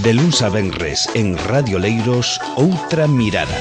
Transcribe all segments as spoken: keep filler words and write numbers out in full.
De luns a venres en Radio Leiros, Outra Mirada.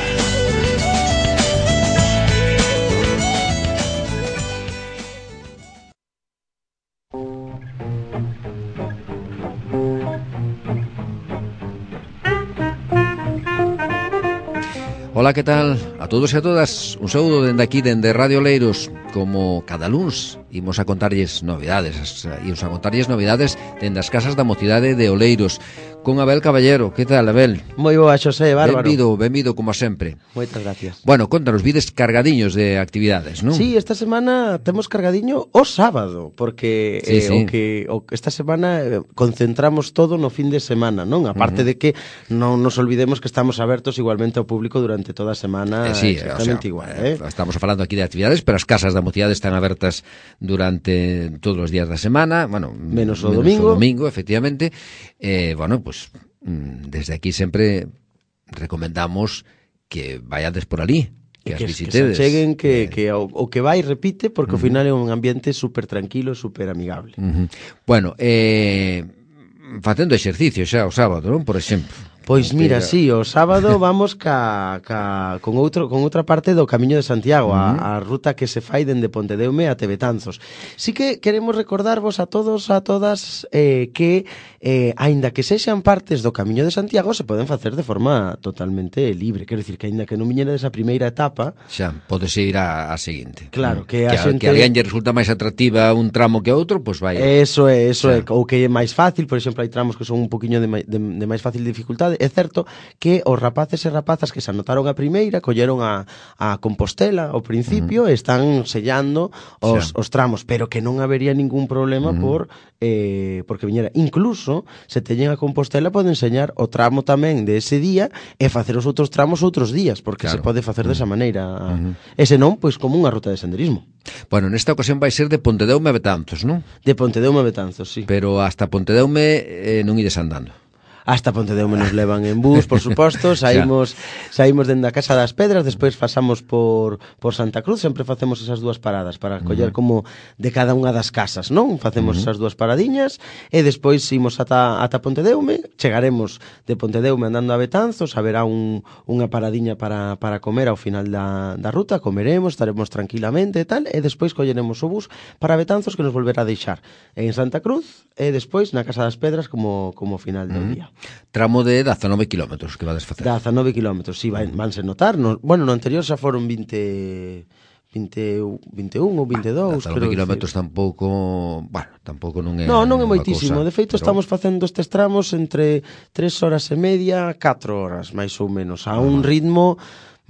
Ola, que tal? A todos e a todas, un saúdo dende aquí, dende Radio Leiros. Como cada luns imos a contarlles novidades, imos a contarlles novidades dende as casas da mocidade de Oleiros, con Abel Caballero. Que tal, Abel? Moi boa, Xosé, bárbaro. Benvido, benvido como sempre. Moitas gracias. Bueno, contanos, vides cargadiños de actividades, non? Sí, esta semana temos cargadiño o sábado, porque sí, eh, sí. o que o, esta semana eh, concentramos todo no fin de semana, non? Aparte uh-huh. de que non nos olvidemos que estamos abertos igualmente ao público durante toda a semana, eh, sí, exactamente o sea, igual, eh? Estamos falando aquí de actividades, pero as casas da mocidade están abertas durante todos os días da semana, bueno, menos o menos domingo. o domingo, efectivamente. Eh, bueno, pues desde aquí sempre recomendamos que vayades por ali, que, que as visitedes. Que se cheguen, que, eh, que o, o que vai repite, porque uh-huh. ao final é un ambiente super tranquilo, super amigable. Uh-huh. Bueno, eh, facendo exercicio xa o sábado, non? Por exemplo. Pois mira, sí, o sábado vamos ca, ca, con, outro, con outra parte do Camiño de Santiago, uh-huh. a, a ruta que se fai dende Pontedeume até Betanzos. Sí que queremos recordarvos a todos, a todas, eh, que, eh, aínda que sexan partes do Camiño de Santiago, se poden facer de forma totalmente libre. Quero dicir que aínda que non viñedes a primeira etapa... Xa, podes ir a, a seguinte. Claro, que a que, xente... Que a alguén lle resulta máis atractiva un tramo que outro, pois vai... Eso é, eso é, ou que é máis fácil, por exemplo, hai tramos que son un poquinho de, de, de máis fácil dificultade. É certo que os rapaces e rapazas que se anotaron a primeira colleron a, a Compostela ao principio uh-huh. e están sellando os, os tramos, pero que non habería ningún problema uh-huh. por eh, porque viñera. Incluso, se teñen a Compostela, poden enseñar o tramo tamén de ese día e facer os outros tramos outros días, porque claro. se pode facer uh-huh. desa maneira. Uh-huh. E senón, pois como unha ruta de senderismo. Bueno, nesta ocasión vai ser de Pontedeume a Betanzos, non? De Pontedeume a Betanzos, sí. Pero hasta Pontedeume eh, non ides andando. Hasta Pontedeume nos levan en bus, por suposto, saímos saímos dende a Casa das Pedras, despois pasamos por por Santa Cruz, sempre facemos esas dúas paradas para coller uh-huh. como de cada unha das casas, non? Facemos uh-huh. esas dúas paradiñas e despois imos ata ata Pontedeume, chegaremos de Pontedeume andando a Betanzos, haberá un unha paradiña para para comer ao final da da ruta, comeremos, estaremos tranquilamente e tal, e despois colleremos o bus para Betanzos que nos volverá a deixar en Santa Cruz e despois na Casa das Pedras como como final do uh-huh. día. Tramo de dezanove kilómetros que vades facer. dezanove kilómetros, si, sí, vanse notar. No, bueno, no anterior xa foron vinte, vinte, vinte e un ou vinte e dous. dezanove kilómetros tampouco, bueno, tampouco non é. No, non é moitísimo. Cosa, de feito, pero... estamos facendo estes tramos entre tres horas e media, catro horas, máis ou menos, a un ritmo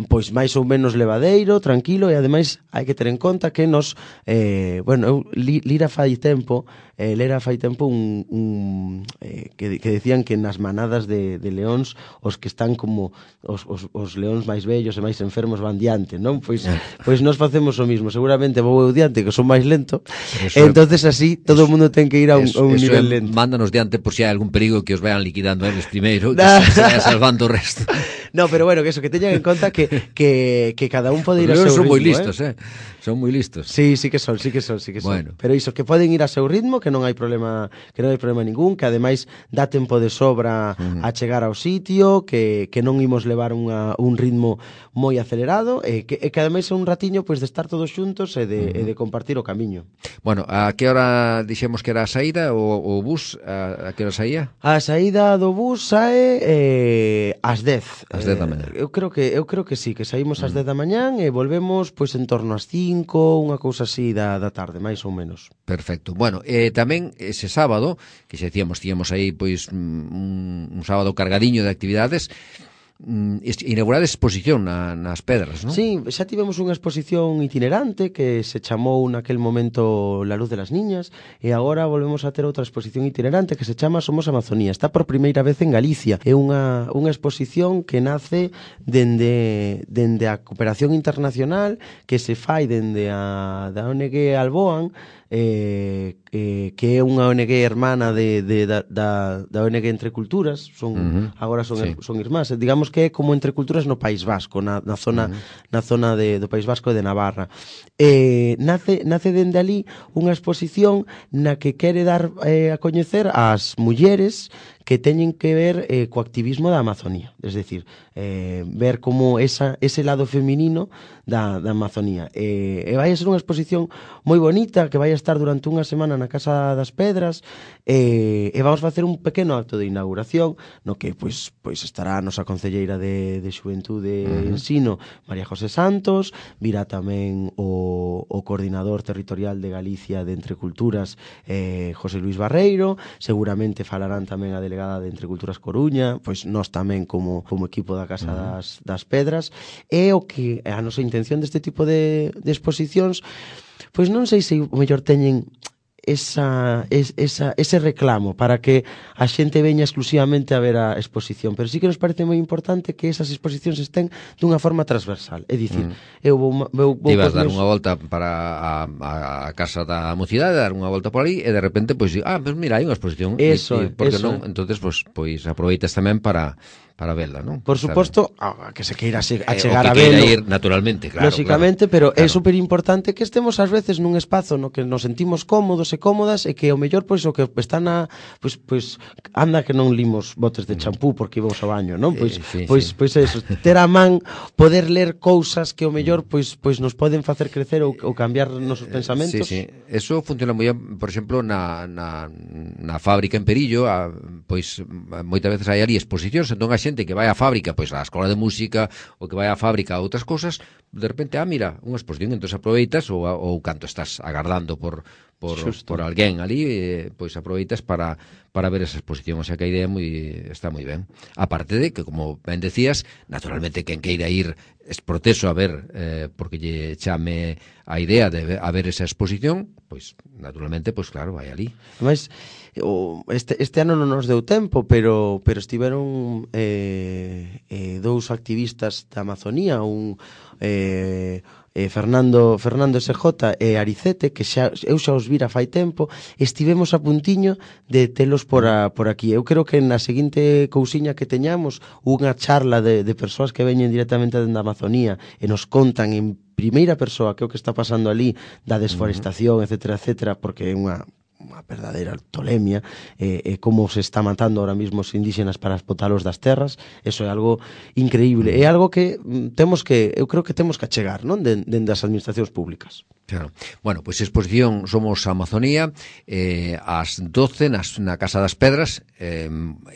pois máis ou menos levadeiro, tranquilo, e ademais hai que ter en conta que nos eh, bueno, eu li, lira fai tempo eh, lera fai tempo un, un eh, que, que decían que nas manadas de, de leóns os que están como os, os, os leóns máis vellos e máis enfermos van diante, non? Pois, pois nos facemos o mismo, seguramente vou eu diante que son máis lento, e entonces así todo o mundo ten que ir a un, eso, a un nivel é, lento. Mándanos diante por si hai algún perigo que os vayan liquidando eles primeiro, que se vayan salvando o resto. No, pero bueno, que eso, que teñan en conta que que, que cada un pode ir a seu ritmo. Son moi listos, eh? eh? Son moi listos. Sí, sí que son, sí que son, sí que son. Bueno. Pero iso, que poden ir a seu ritmo, que non hai problema, que non hai problema ningún, que ademais dá tempo de sobra uh-huh. a chegar ao sitio, que, que non imos levar unha, un ritmo moi acelerado, e que, e que ademais é un ratiño pois, de estar todos xuntos e de, uh-huh. e de compartir o camiño. Bueno, a que hora dixemos que era a saída, o, o bus, a, a que hora saía? A saída do bus sae eh, ás dez. Ás dez da mañá. Eh, eu creo que eu creo que sí, que saímos ás uh-huh. dez da mañán e volvemos pois en torno ás cinco, unha cousa así da, da tarde, máis ou menos. Perfecto. Bueno, eh, tamén ese sábado, que xa decíamos, tíamos aí pois un, un sábado cargadiño de actividades, inaugurar exposición na, nas pedras, non? Sí, xa tivemos unha exposición itinerante que se chamou naquel momento La Luz de las Niñas, e agora volvemos a ter outra exposición itinerante que se chama Somos Amazonía. Está por primeira vez en Galicia. É unha, unha exposición que nace dende, dende a cooperación internacional que se fai dende a da O N G Alboan, eh, eh, que é unha O N G hermana de, de, da, da, da O N G Entre Culturas, son, uh-huh. agora son, sí. son irmás, digamos que é como Entre Culturas no País Vasco, na, na zona, uh-huh. na zona de, do País Vasco e de Navarra. Eh, nace, nace dende ali unha exposición na que quere dar eh, a coñecer ás mulleres que teñen que ver eh, co activismo da Amazonía, es decir, eh, ver como esa, ese lado feminino da, da Amazonía. Eh, e vai a ser unha exposición moi bonita que vai a estar durante unha semana na Casa das Pedras, eh, e vamos facer un pequeno acto de inauguración no que pois, pois estará a nosa concelleira de, de Xuventude e uh-huh. Ensino, María José Santos, virá tamén o, o coordinador territorial de Galicia de Entre Culturas, eh, José Luis Barreiro, seguramente falarán tamén a delegada de Entre Culturas Coruña, pois nós tamén como, como equipo da Casa uh-huh. das, das Pedras, e o que a nosa intención deste tipo de, de exposicións, pois non sei se o mellor teñen esa, es, esa, ese reclamo para que a xente veña exclusivamente a ver a exposición, pero sí que nos parece moi importante que esas exposicións estén dunha forma transversal, é dicir, mm. eu vou, vou, vou ibas dar meus... unha volta para a, a, a Casa da Mocidade, dar unha volta por aí e de repente, pois, ah, pues mira, hai unha exposición, eso, e, e, porque eso. non, entonces, pois, pois aproveitas tamén para para vela, non? Por suposto, a que se queira a chegar eh, a velo. Ir naturalmente, claro. Lóxicamente, claro, pero claro. é super importante que estemos ás veces nun espazo no que nos sentimos cómodos e cómodas e que o mellor pois o que está na pois pois anda que non limos botes de champú porque íbamos ao baño, non? Pois eh, sí, pois sí. pois eso, ter a man, poder ler cousas que o mellor pois pois nos poden facer crecer ou, ou cambiar nosos pensamentos. Sí, sí. Eso funciona moi ben, por exemplo, na na na fábrica en Perillo, a, pois moitas veces hai ali exposicións, entón a xente que vai á fábrica, pois á escola de música ou que vai á fábrica a outras cousas, de repente, ah, mira, unha exposición, entón aproveitas ou, ou canto estás agardando por por, por alguén ali, eh, pois aproveitas para para ver esa exposición, o sea que a idea moi, está moi ben. Aparte de que, como ben decías, naturalmente quen queira ir es proteso a ver, eh, porque lle chame a idea de ver, a ver esa exposición, pois naturalmente, pois claro, vai ali. Mas o, este, este ano non nos deu tempo, pero pero estiveron eh, eh, dous activistas da Amazonía, un eh, eh, Fernando Fernando S J e Aricete, que xa, eu xa os vira fai tempo, estivemos a puntiño de telos por, a, por aquí. Eu creo que na seguinte cousiña que teñamos unha charla de, de persoas que veñen directamente da Amazonía e nos contan en primeira persoa que é o que está pasando ali da desforestación, etcétera, etcétera, porque é unha unha verdadeira tolemia, e eh, eh, como se está matando ahora mismo os indígenas para botalos das terras, eso é algo increíble, é algo que mm, temos que, eu creo que temos que achegar, non, dende de, de das administracións públicas. Claro. Bueno, pois pues, exposición Somos Amazonía, eh, ás doce nas, na Casa das Pedras, eh,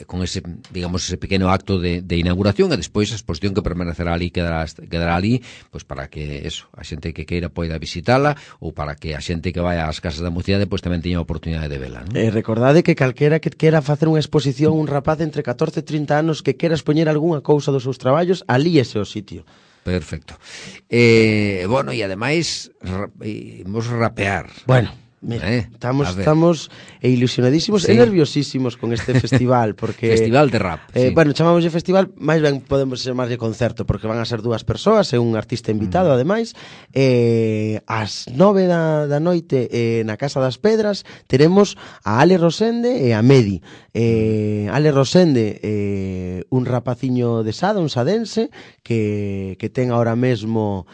con ese, digamos, ese pequeno acto de, de inauguración, e despois a exposición que permanecerá ali, quedará, quedará ali, pois pues, para que eso, a xente que queira poida visitala, ou para que a xente que vai ás Casas da Mocidade pois pues, tamén teña a oportunidade de vela, non? Eh, recordade que calquera que quera facer unha exposición, un rapaz entre catorce e trinta anos que quera expoñer algunha cousa dos seus traballos, ali ese o sitio. Perfecto. Eh, bueno, e ademais ra, imos rapear. Bueno, mira, eh, estamos estamos ilusionadísimos sí. e nerviosísimos con este festival porque festival de rap. Eh, sí. Bueno, chamamos de festival, máis ben podemos chamar de concerto porque van a ser dúas persoas e un artista invitado, mm. ademais. Eh, ás nove da, da noite eh, na Casa das Pedras teremos a Ale Rosende e a Medi. Eh, Ale Rosende, eh, un rapaciño de Sada, un sadense que que ten ahora mesmo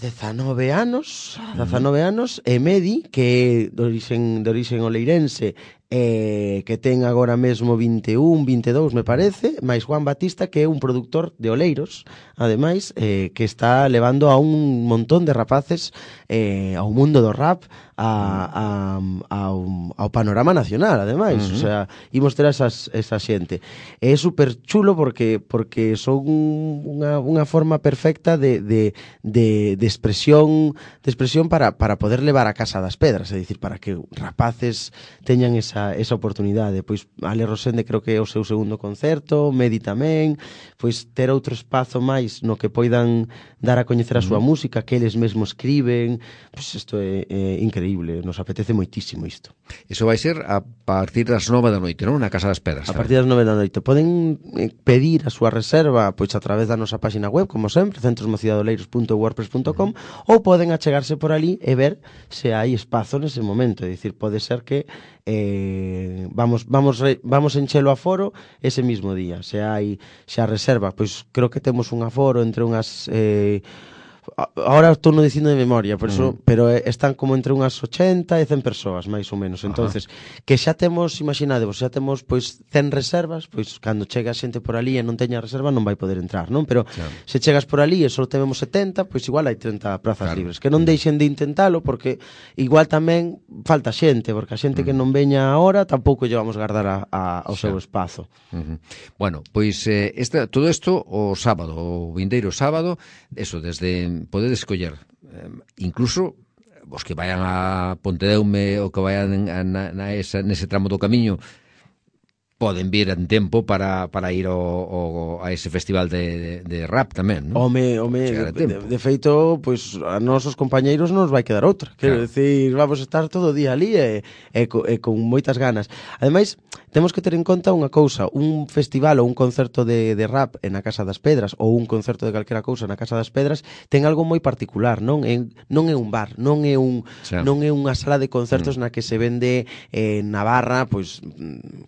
dezanove anos, dezanove anos, e Medi, que é de orixen, de orixen oleirense, eh, que ten agora mesmo vinte e un, vinte e dous, me parece, máis Juan Batista, que é un produtor de oleiros, ademais, eh, que está levando a un montón de rapaces eh, ao mundo do rap, a, a, ao, ao panorama nacional, ademais, uh-huh. o sea, imos ter esas, esa xente. É super chulo porque porque son unha, unha forma perfecta de, de, de, de expresión de expresión para, para poder levar a Casa das Pedras, é dicir, para que rapaces teñan esa, esa oportunidade. Pois Ale Rosende creo que é o seu segundo concerto, Medi tamén, pois ter outro espazo máis no que poidan dar a coñecer a súa uh-huh. música, que eles mesmos escriben, pois isto é, é increíble, nos apetece moitísimo isto. Iso vai ser a partir das nove da noite, non? Na Casa das Pedras. A partir das nove da noite. Poden pedir a súa reserva pois a través da nosa página web, como sempre, centros mocidadoleiros punto wordpress punto com, uh-huh. ou poden achegarse por ali e ver se hai espazo nese momento, é dicir, pode ser que eh, vamos vamos vamos enchelo aforo ese mismo día. Se hai xa reserva, pois creo que temos un aforo entre unhas eh, Ahora estou non dicindo de memoria, por eso, mm. pero están como entre unhas ochenta e cen persoas, máis ou menos. Entonces, ajá, que xa temos, imaginadevos, xa temos pois cen reservas, pois cando chega a xente por ali e non teña reserva non vai poder entrar, non? Pero claro, se chegas por ali e só temos setenta, pois igual hai trinta prazas claro, libres. Que non deixen de intentalo, porque igual tamén falta xente, porque a xente mm. que non veña ahora tampouco lle vamos guardar a, a, ao xa, seu espazo. Uh-huh. Bueno, pois eh, esta, todo isto o sábado, o vindeiro sábado, eso, desde podedes escoller, eh, incluso os que vayan a Pontedeume ou que vayan a, na, na esa, nese tramo do camiño, poden vir en tempo para, para ir ao, ao, a ese festival de, de, de rap tamén, non? Home, home, de, de, de feito, pois a nosos compañeiros non nos vai quedar outra. Quero claro, decir, vamos a estar todo o día ali e, e, e con moitas ganas. Ademais, temos que ter en conta unha cousa, un festival ou un concerto de, de rap na Casa das Pedras ou un concerto de calquera cousa na Casa das Pedras ten algo moi particular, non? É, non é un bar, non é un sí, non é unha sala de concertos mm. na que se vende eh, na barra, pois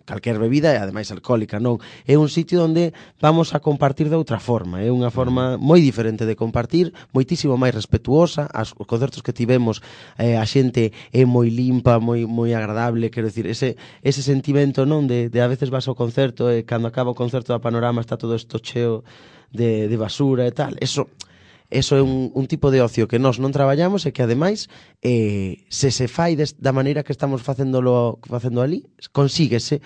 calquer bebida e ademais alcohólica, non. É un sitio onde vamos a compartir de outra forma, é unha forma moi diferente de compartir, moitísimo máis respetuosa. As, os concertos que tivemos, eh, a xente é moi limpa, moi moi agradable, quero dicir, ese ese sentimento, non, de, de a veces vas ao concerto e cando acaba o concerto da Panorama está todo isto cheo de, de basura e tal. Eso Eso é un, un tipo de ocio que nós non traballamos e que, ademais, eh, se se fai des, da maneira que estamos facéndolo, facendo ali, consíguese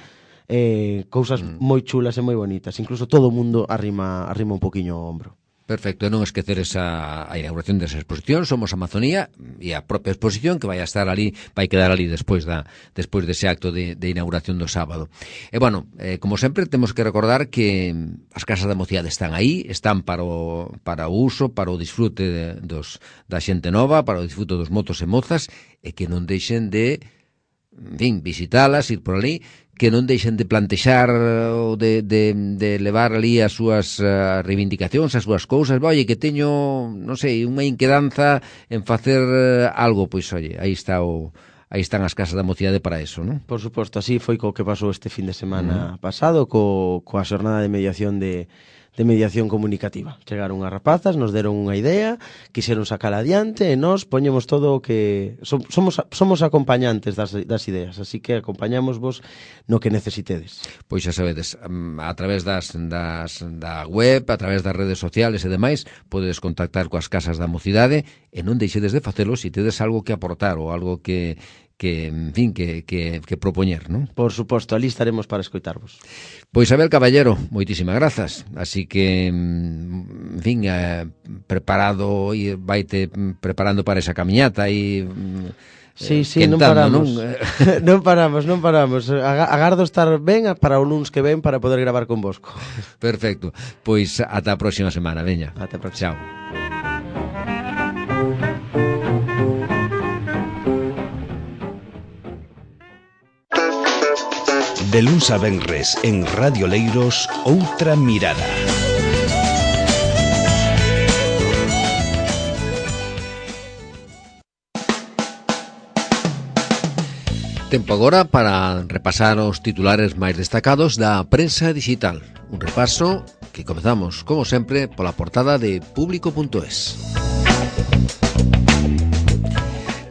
eh, cousas mm. moi chulas e moi bonitas. Incluso todo o mundo arrima, arrima un poquinho o ombro. Perfecto, e non esquecer esa a inauguración desa exposición. Somos Amazonía e a propia exposición que vai a estar ali, vai quedar ali despois da despois dese acto de, de inauguración do sábado. E bueno, eh, como sempre temos que recordar que as casas da mocidade están aí, están para o para o uso, para o disfrute de, dos da xente nova, para o disfrute dos mozos e mozas, e que non deixen de, en fin, visitalas, ir por ali, que non deixen de plantexar ou de, de, de levar ali as súas uh, reivindicacións, as súas cousas. Oye, que teño, non sei, unha inquedanza en facer uh, algo, pois, oye, aí está o aí están as casas da mocidade para eso, non? Por suposto, así foi co que pasou este fin de semana uh-huh. pasado co, coa xornada de mediación de de mediación comunicativa. Chegaron as rapazas, nos deron unha idea, quixeron sacala adiante e nós poñemos todo o que... Somos, somos acompañantes das, das ideas, así que acompañamos vos no que necesitedes. Pois xa sabedes, a través das, das, da web, a través das redes sociales e demais, podedes contactar coas casas da mocidade e non deixedes de facelo se tedes algo que aportar ou algo que... que, en fin, que, que, que propoñer, non? Por suposto, ali estaremos para escoitarvos. Pois, Abel Caballero, moitísimas grazas. Así que, en fin, eh, preparado, e vaite preparando para esa camiñata e... Sí, sí, non paramos. Non? non paramos, non paramos. Agardo estar ben para o luns que ven para poder gravar con Bosco. Perfecto. Pois ata a próxima semana, veña. Ata a próxima. Chao. De luns a venres en Radio Leiros, Outra Mirada. Tempo agora para repasar os titulares máis destacados da prensa digital. Un repaso que comezamos, como sempre, pola portada de público punto es.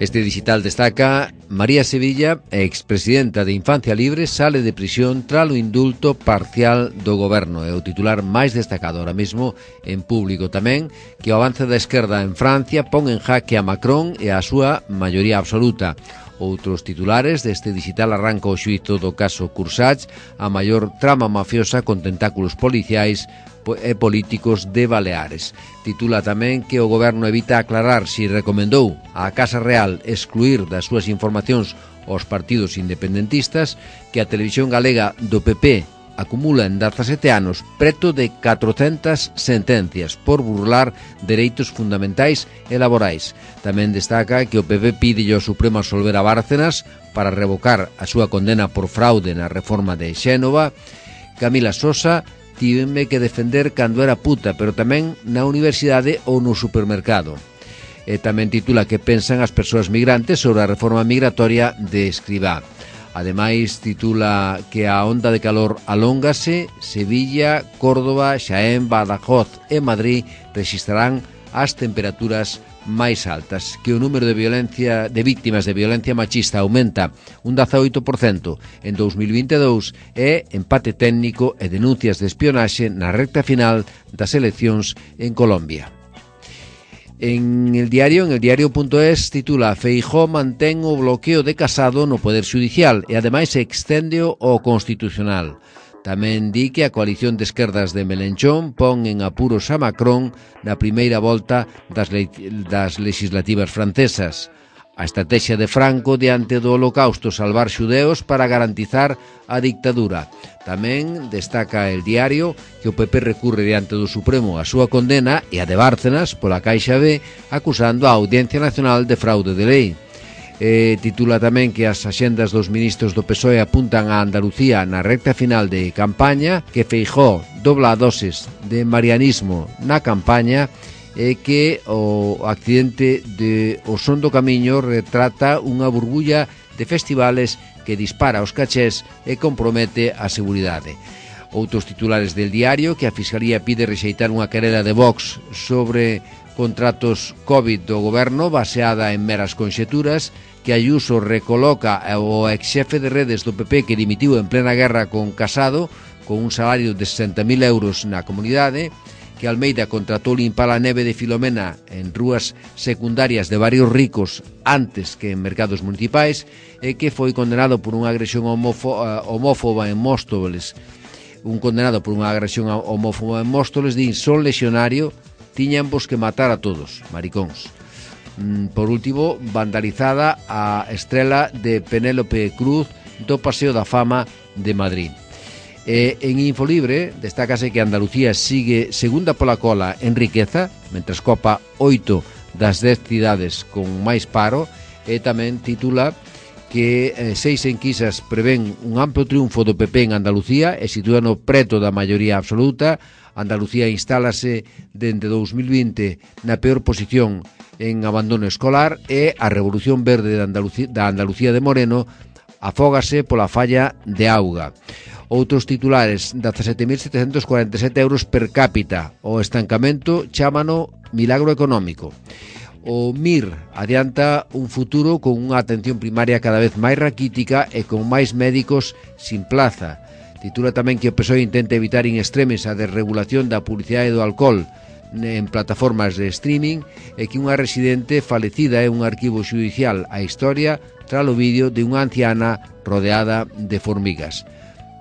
Este digital destaca: María Sevilla, expresidenta de Infancia Libre, sale de prisión tras o indulto parcial do goberno. É o titular máis destacado ahora mesmo en público. Tamén que o avance da esquerda en Francia pon en jaque a Macron e a súa maioría absoluta. Outros titulares deste digital: arranca o xuízo do caso Cursach, a maior trama mafiosa con tentáculos policiais e políticos de Baleares. Titula tamén que o goberno evita aclarar se recomendou á Casa Real excluir das súas informacións aos partidos independentistas, que a televisión galega do P P acumula en dezasete anos preto de catrocentas sentencias por burlar dereitos fundamentais e laborais. Tamén destaca que o P P pide ao Supremo absolver a Bárcenas para revocar a súa condena por fraude na reforma de Xénova. Camila Sosa: tiveme que defender cando era puta, pero tamén na universidade ou no supermercado. E tamén titula que pensan as persoas migrantes sobre a reforma migratoria de Escribá. Ademais, titula que a onda de calor alóngase. Sevilla, Córdoba, Xaén, Badajoz e Madrid rexistrarán as temperaturas máis altas, que o número de violencia de víctimas de violencia machista aumenta un dezaoito por cento en dous mil vinte e dous e empate técnico e denuncias de espionaxe na recta final das eleccións en Colombia. En el diario, en el diario.es, titula Feijóo mantén o bloqueo de Casado no Poder Xudicial e ademais exténdeo ao Constitucional. Tamén di que a coalición de esquerdas de Melenchón pon en apuros a Macron na primeira volta das, le das legislativas francesas. A estrategia de Franco diante do Holocausto, salvar xudeos para garantizar a dictadura. Tamén destaca el diario que o P P recurre diante do Supremo a súa condena e a de Bárcenas pola Caixa B acusando a Audiencia Nacional de fraude de lei. Eh, titula tamén que as axendas dos ministros do P S O E apuntan a Andalucía na recta final de campaña, que Feijóo dobla a doses de marianismo na campaña e que o accidente de O Son do Camiño retrata unha burbulla de festivales que dispara os cachés e compromete a seguridade. Outros titulares del diario que a Fiscalía pide rexeitar unha querela de Vox sobre contratos COVID do goberno baseada en meras conxeturas, que Ayuso recoloca o exxefe de redes do P P que dimitiu en plena guerra con Casado con un salario de sesenta mil euros na comunidade, que Almeida contratou limpar a neve de Filomena en rúas secundarias de barrios ricos antes que en mercados municipais e que foi condenado por unha agresión homófoba en Móstoles. Un condenado por unha agresión homófoba en Móstoles din son lexionario, tiñan vos que matar a todos, maricóns. Por último, vandalizada a estrela de Penélope Cruz do Paseo da Fama de Madrid. E en Infolibre destácase que Andalucía sigue segunda pola cola en riqueza, mentres copa oito das dez cidades con máis paro, e tamén titula que eh, seis enquisas prevén un amplo triunfo do P P en Andalucía e sitúano preto da maioría absoluta. Andalucía instálase dende dous mil vinte na peor posición en abandono escolar e a Revolución Verde da Andalucía, da Andalucía de Moreno afógase pola falla de auga. Outros titulares, dezasete mil setecentos cuarenta e sete euros per cápita. O estancamento chámano milagro económico. O M I R adianta un futuro con unha atención primaria cada vez máis raquítica e con máis médicos sin plaza. Titula tamén que o P S O E intenta evitar in extremis a desregulación da publicidade do alcohol en plataformas de streaming e que unha residente falecida é un arquivo xudicial a historia tras o vídeo de unha anciana rodeada de formigas.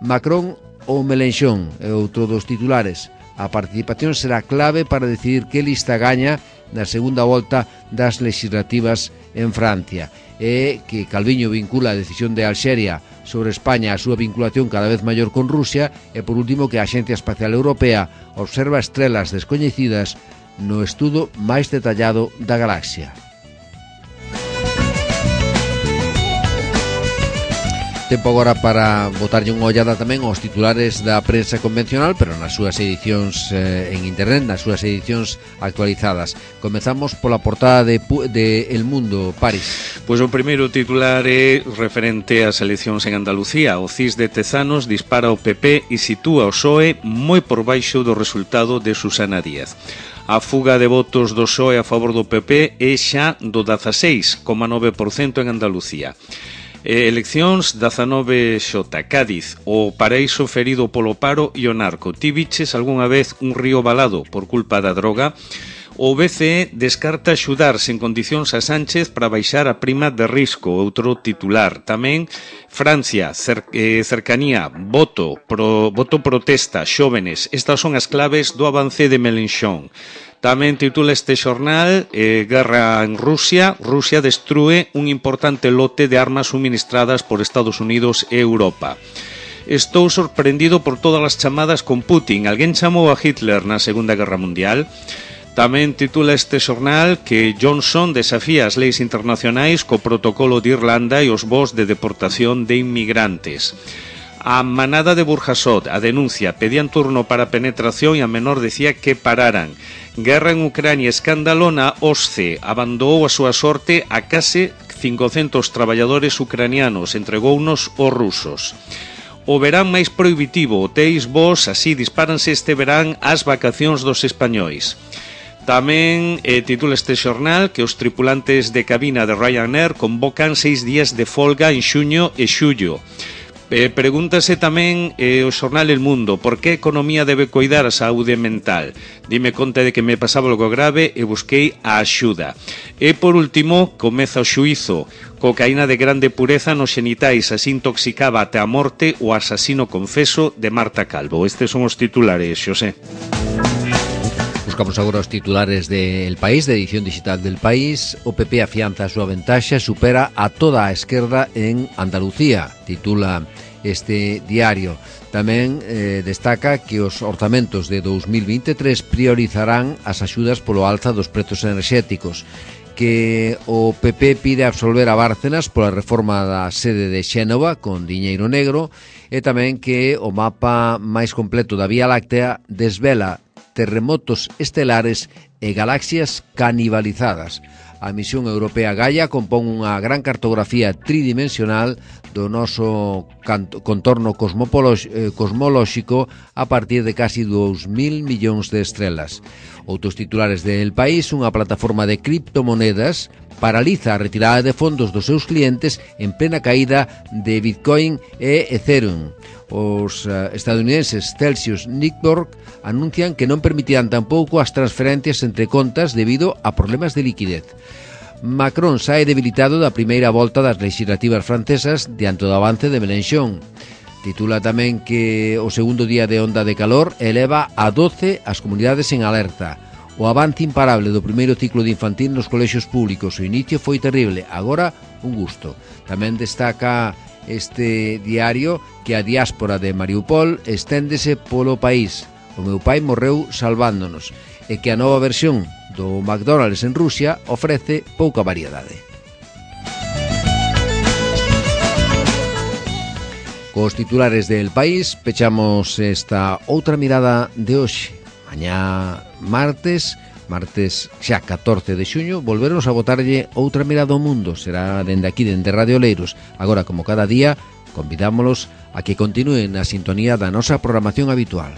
Macron ou Melenchón é outro dos titulares. A participación será clave para decidir que lista gaña na segunda volta das legislativas en Francia e que Calviño vincula a decisión de Alxeria sobre España a súa vinculación cada vez maior con Rusia e, por último, que a Axencia Espacial Europea observa estrelas descoñecidas no estudo máis detallado da galaxia. Tempo agora para botarlle unha ollada tamén aos titulares da prensa convencional, pero nas súas edicións eh, en internet, nas súas edicións actualizadas. Comezamos pola portada de, de El Mundo, Paris. Pois o primeiro titular é referente ás eleccións en Andalucía. O C I S de Tezanos dispara o P P e sitúa o P S O E moi por baixo do resultado de Susana Díaz. A fuga de votos do P S O E a favor do P P é xa do dezaseis coma nove por cento en Andalucía. Eleccións dezanove X, Cádiz, o paraíso ferido polo paro e o narco. Ti viches algunha vez un río balado por culpa da droga? O B C E descarta axudar sen condicións a Sánchez para baixar a prima de risco, outro titular. Tamén Francia, cer eh, cercanía, voto, pro, voto protesta, xóvenes. Estas son as claves do avance de Melenchón. Tamén titula este xornal eh, Guerra en Rusia. Rusia destrúe un importante lote de armas suministradas por Estados Unidos e Europa. Estou sorprendido por todas as chamadas con Putin. Alguén chamou a Hitler na Segunda Guerra Mundial. Tamén titula este xornal que Johnson desafía as leis internacionais co protocolo de Irlanda e os voos de deportación de inmigrantes. A manada de Burjasot, a denuncia, pedían turno para penetración e a menor decía que pararan. Guerra en Ucrania, escándalo na O S C E, abandonou a súa sorte a case cincocentos traballadores ucranianos, entregounos os rusos. O verán máis prohibitivo, hotéis vos, así dispáranse este verán as vacacións dos españois. Tamén eh, titula este xornal que os tripulantes de cabina de Ryanair convocan seis días de folga en xuño e xullo. Eh, pregúntase tamén eh, o xornal El Mundo por que a economía debe coidar a saúde mental. Dime conta de que me pasaba algo grave e busquei a axuda. E por último, comeza o xuízo. Cocaína de grande pureza nos xenitais, así intoxicaba até a morte o asasino confeso de Marta Calvo. Estes son os titulares, Xosé. Buscamos agora os titulares del País, de edición digital del País. O P P afianza a súa ventaxa, supera a toda a esquerda en Andalucía, titula este diario. Tamén eh, destaca que os orzamentos de dos mil vinte e tres priorizarán as axudas polo alza dos prezos enerxéticos, que o P P pide absolver a Bárcenas pola reforma da sede de Xénova con diñeiro negro, e tamén que o mapa máis completo da Vía Láctea desvela terremotos estelares e galaxias canibalizadas. A misión europea Gaia compón unha gran cartografía tridimensional do noso contorno cosmolóxico a partir de casi dous mil millóns de estrelas. Outros titulares del País: unha plataforma de criptomonedas paraliza a retirada de fondos dos seus clientes en plena caída de Bitcoin e Ethereum. Os uh, estadounidenses Celsius Network anuncian que non permitirán tampouco as transferencias entre contas debido a problemas de liquidez. Macron sae debilitado da primeira volta das legislativas francesas diante do avance de Mélenchon. Titula tamén que o segundo día de onda de calor eleva a doce as comunidades en alerta. O avance imparable do primeiro ciclo de infantil nos colexios públicos. O inicio foi terrible, agora un gusto. Tamén destaca este diario que a diáspora de Mariupol esténdese polo país. O meu pai morreu salvándonos, e que a nova versión do McDonald's en Rusia ofrece pouca variedade. Cos titulares del País pechamos esta outra mirada de hoxe. Mañá martes, martes xa catorce de xuño, volveremos a botarlle outra mirada ao mundo. Será dende aquí, dende Radio Leiros. Agora, como cada día, convidámolos a que continúen na sintonía da nosa programación habitual.